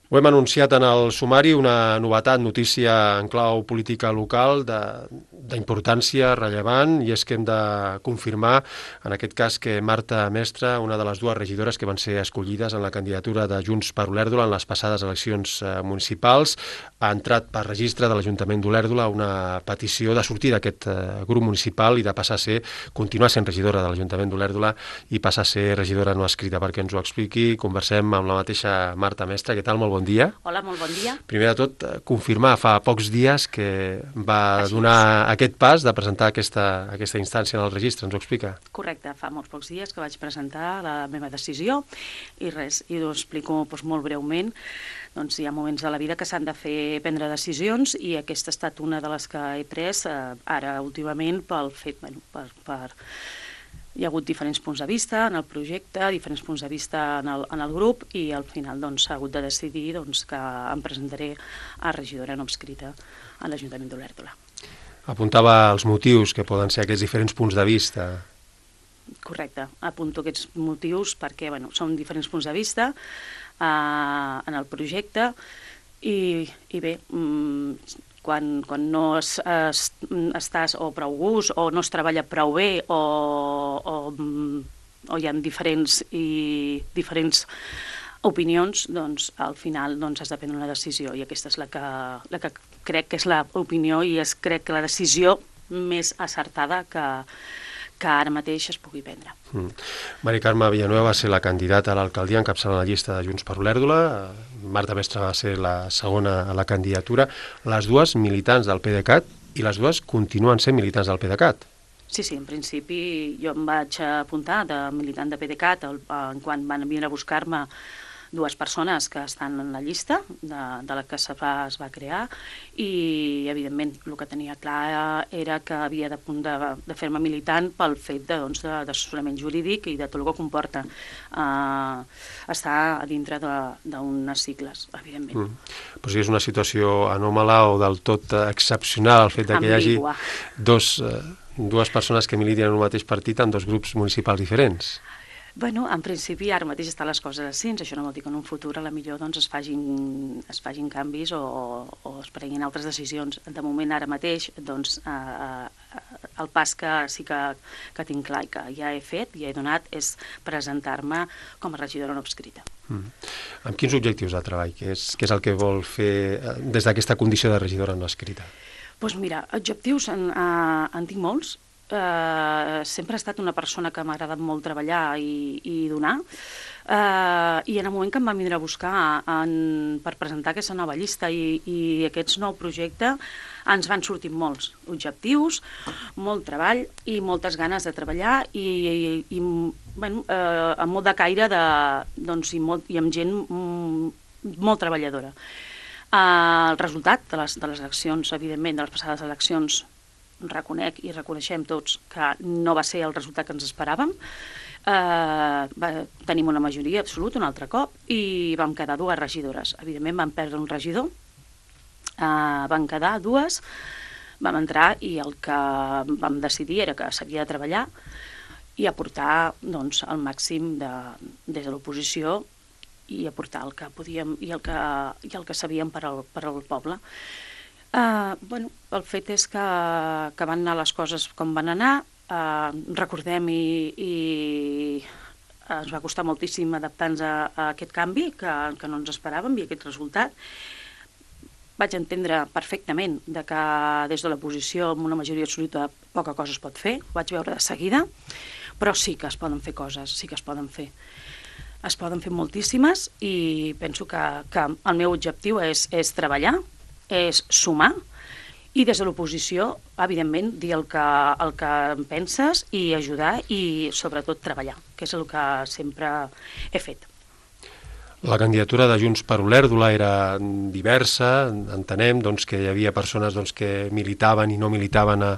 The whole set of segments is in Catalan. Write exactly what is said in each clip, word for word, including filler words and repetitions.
Ho hem anunciat en el sumari, una novetat, notícia en clau política local d'importància rellevant, i és que hem de confirmar, en aquest cas, que Marta Mestre, una de les dues regidores que van ser escollides en la candidatura de Junts per Olèrdola en les passades eleccions municipals, ha entrat per registre de l'Ajuntament d'Olèrdola una petició de sortir d'aquest grup municipal i de passar a ser, continuar sent regidora de l'Ajuntament d'Olèrdola i passar a ser regidora no escrita. Perquè ens ho expliqui, conversem amb la mateixa Marta Mestre. Què tal? Molt bon dia. Hola, molt bon dia. Primer de tot, confirmar, fa pocs dies que va Així donar és. aquest pas de presentar aquesta, aquesta instància en el registre. Ens ho explica? Correcte, fa molts pocs dies que vaig presentar la meva decisió i res, i ho explico doncs, molt breument. Doncs hi ha moments de la vida que s'han de fer prendre decisions i aquesta ha estat una de les que he pres eh, ara últimament pel fet, bueno, per... per hi ha hagut diferents punts de vista en el projecte, diferents punts de vista en el, en el grup i al final doncs, s'ha hagut de decidir doncs, que em presentaré a regidora no adscrita a l'Ajuntament d'Olèrdola. Apuntava els motius que poden ser aquests diferents punts de vista. Correcte, apunto aquests motius perquè bueno, són diferents punts de vista eh, en el projecte i, i bé... Mm, Quan, quan no es, es, estàs o prou gust o no es treballa prou bé o, o, o hi ha diferents, i, diferents opinions, doncs al final doncs, has de prendre una decisió i aquesta és la que, la que crec que és l'opinió i és crec que la decisió més acertada que, que ara mateix es pugui prendre. Mm. Mari Carme Villanueva va ser la candidata a l'alcaldia encapçalant la llista de Junts per Olèrdola. Marta Mestre va ser la segona a la candidatura. Les dues militants del PDeCAT i les dues continuen sent militants del PDeCAT. Sí, sí, en principi jo em vaig apuntar de militant de PDeCAT quan van venir a buscar-me dues persones que estan en la llista de, de la que es va, es va crear i, evidentment, el que tenia clar era que havia de, de, de fer-me militant pel fet d'assessorament jurídic i de tot el que comporta eh, estar a dintre d'unes sigles, evidentment. Mm. Però si és una situació anòmala o del tot excepcional el fet que hi hagi dos, eh, dues persones que militin en un mateix partit en dos grups municipals diferents. Bueno, en principi ara mateix estan les coses així, això no vol dir que en un futur a la millor doncs, es, fagin, es fagin canvis o, o es prenguin altres decisions. De moment ara mateix doncs, eh, el pas que sí que, que tinc clar i que ja he fet, ja he donat, és presentar-me com a regidora no adscrita. Mm. Amb quins objectius de treball? Què és, què és el que vol fer des d'aquesta condició de regidora no adscrita? Doncs mira, objectius en, eh, en tinc molts. Uh, sempre he estat una persona que m'ha agradat molt treballar i, i donar uh, i en el moment que em van vindre a buscar en, per presentar aquesta nova llista i, i aquest nou projecte ens van sortir molts objectius, molt treball i moltes ganes de treballar i, i, i bueno, uh, amb molt de caire de, doncs, i, molt, i amb gent mm, molt treballadora. Uh, el resultat de les, de les eleccions, evidentment, de les passades eleccions, reconec i reconeixem tots que no va ser el resultat que ens esperàvem. Eh, va, tenim una majoria absoluta un altre cop i vam quedar dues regidores. Evidentment vam perdre un regidor, eh, van quedar dues, vam entrar i el que vam decidir era que s'havia de treballar i aportar doncs, el màxim de, des de l'oposició i aportar el que podíem i el que, i el que sabíem per al, per al poble. Uh, bueno, el fet és que, que van anar les coses com van anar, uh, recordem i, i ens va costar moltíssim adaptar-nos a, a aquest canvi que, que no ens esperàvem i aquest resultat. Vaig entendre perfectament de que des de l'oposició amb una majoria absoluta poca cosa es pot fer, ho vaig veure de seguida, però sí que es poden fer coses, sí que es poden fer. Es poden fer moltíssimes i penso que, que el meu objectiu és, és treballar, és sumar i des de l'oposició, evidentment, dir el que, el que en penses i ajudar i, sobretot, treballar, que és el que sempre he fet. La candidatura de Junts per Olèrdola era diversa, entenem doncs, que hi havia persones doncs, que militaven i no militaven a,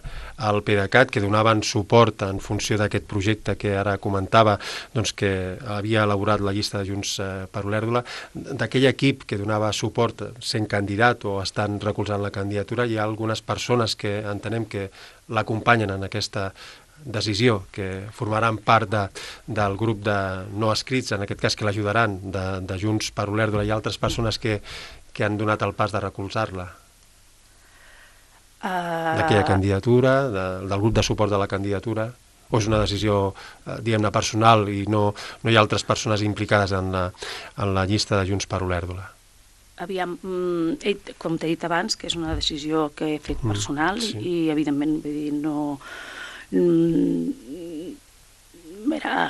al PDeCAT, que donaven suport en funció d'aquest projecte que ara comentava, doncs, que havia elaborat la llista de Junts per Olèrdola. D'aquell equip que donava suport sent candidat o estan recolzant la candidatura, hi ha algunes persones que entenem que l'acompanyen en aquesta decisió, que formaran part de, del grup de no escrits, en aquest cas que l'ajudaran, de, de Junts per Olèrdola i altres persones que, que han donat el pas de recolzar-la? Uh... D'aquella candidatura, de, del grup de suport de la candidatura? O és una decisió, eh, diguem-ne, personal i no, no hi ha altres persones implicades en la, en la llista de Junts per Olèrdola? Aviam, com t'he dit abans, que és una decisió que he fet personal, mm, sí. I evidentment, vull dir, no... Mira,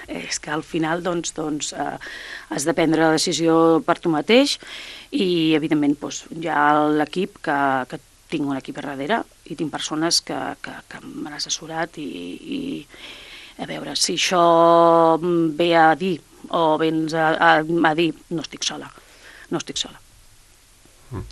és que al final doncs, doncs, eh, has de prendre la decisió per tu mateix i evidentment doncs, hi ha l'equip que, que tinc un equip a darrere i tinc persones que, que, que m'han assessorat i, i a veure, si això ve a dir o vens a, a, a dir, no estic sola. No estic sola. Mm.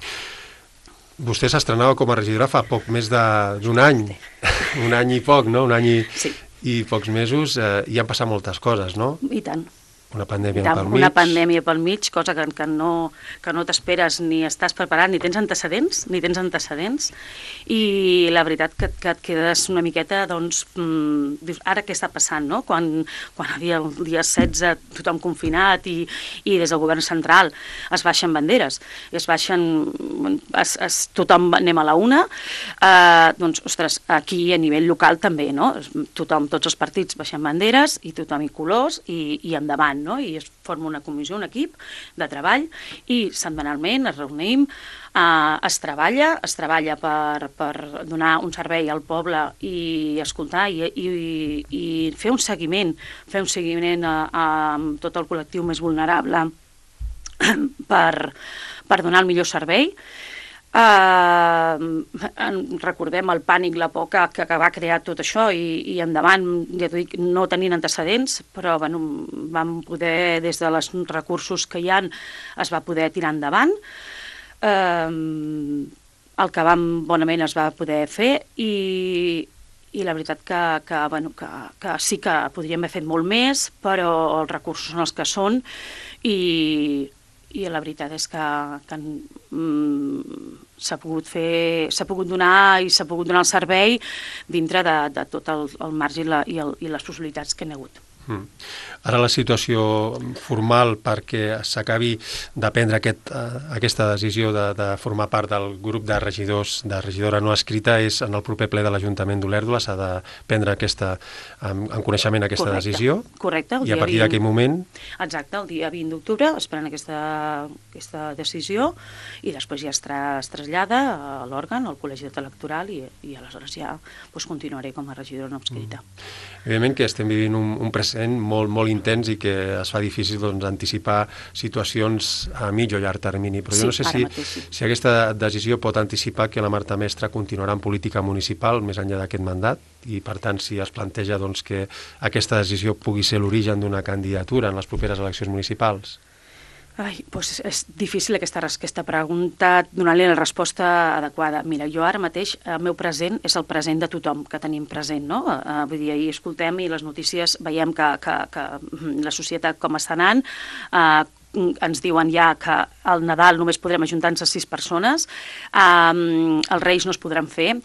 Vostè s'estrenava com a regidora fa poc més d'un any, sí. Un any i poc, no? Un any i, sí. I pocs mesos, eh, i han passat moltes coses, no? I tant. Una pandèmia tant, pel mig. Una pandèmia pel mig, cosa que, que no, que no t'esperes ni estàs preparat, ni tens antecedents, ni tens antecedents, i la veritat que, que et quedes una miqueta, doncs, mmm, dius, ara què està passant, no? Quan, quan havia el dia setze tothom confinat i, i des del govern central es baixen banderes, es baixen, es, es, tothom anem a la una, eh, doncs, ostres, aquí a nivell local també, no? Tothom, tots els partits baixen banderes i tothom i colors i, i endavant, no? I es forma una comissió, un equip de treball i setmanalment es reunim, eh, es treballa, es treballa per, per donar un servei al poble i escoltar i, i, i fer un seguiment, fer un seguiment a, a tot el col·lectiu més vulnerable per, per donar el millor servei. Uh, recordem el pànic, la por que, que va crear tot això i, i endavant, ja t'ho dic, no tenint antecedents, però bueno, vam poder, des dels recursos que hi ha, es va poder tirar endavant. Uh, el que vam bonament es va poder fer i, i la veritat que, que, bueno, que, que sí que podríem haver fet molt més, però els recursos són els que són i i la veritat és que, que mm, s'ha pogut fer, s'ha pogut donar i s'ha pogut donar el servei dintre de, de tot el, el marge i, la, i, el, i les possibilitats que n'hi ha hagut. Mm. Ara la situació formal perquè s'acabi de prendre aquest, uh, aquesta decisió de, de formar part del grup de regidors, de regidora no escrita, és en el proper ple de l'Ajuntament d'Olèrdola, s'ha de prendre aquesta, en, en coneixement aquesta correcte, decisió. Correcte. I a partir d'aquell moment... Exacte, el dia vint d'octubre es pren aquesta, aquesta decisió i després ja es, tra, es trasllada a l'òrgan, al col·legi electoral i, i aleshores ja doncs, continuaré com a regidora no escrita. Mm. Evidentment que estem vivint un, un present molt, molt intens i que es fa difícil doncs, anticipar situacions a mig o llarg termini, però sí, jo no sé si, mateix, sí. si aquesta decisió pot anticipar que la Marta Mestre continuarà en política municipal més enllà d'aquest mandat i per tant si es planteja doncs, que aquesta decisió pugui ser l'origen d'una candidatura en les properes eleccions municipals. Ai, doncs és difícil aquesta, aquesta pregunta, donar-li la resposta adequada. Mira, jo ara mateix, el meu present és el present de tothom que tenim present, no? Uh, vull dir, ahir escoltem i les notícies veiem que, que, que la societat com està anant, uh, ens diuen ja que al Nadal només podrem ajuntar-nos a sis persones, um, els Reis no es podran fer.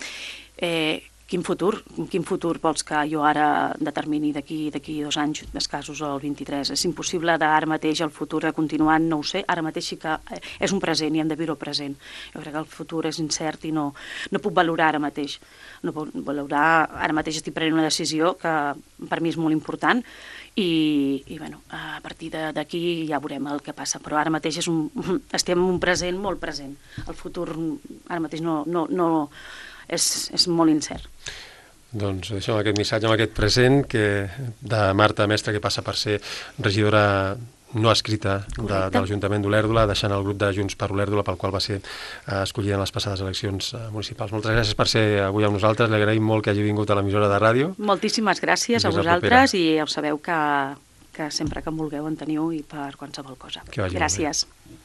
Eh, Quin futur? Quin futur vols que jo ara determini d'aquí d'aquí dos anys escassos o el vint-i-tres? És impossible d'ara mateix el futur de continuar, no ho sé, ara mateix sí que és un present i hem de viure el present. Jo crec que el futur és incert i no, no puc valorar ara mateix. No puc valorar, ara mateix estic prenent una decisió que per mi és molt important i, i bueno, a partir d'aquí ja veurem el que passa, però ara mateix és un, estem en un present molt present. El futur ara mateix no... no, no És, és molt incert. Doncs deixem aquest missatge amb aquest present que, de Marta Mestre, que passa per ser regidora no escrita de, de l'Ajuntament d'Olèrdola, deixant el grup de Junts per Olèrdola pel qual va ser eh, escollida en les passades eleccions eh, municipals. Moltes gràcies per ser avui amb nosaltres, li agraïm molt que hagi vingut a l'emissora de ràdio. Moltíssimes gràcies a vosaltres i ja ho sabeu que, que sempre que em vulgueu en teniu i per qualsevol cosa. Gràcies.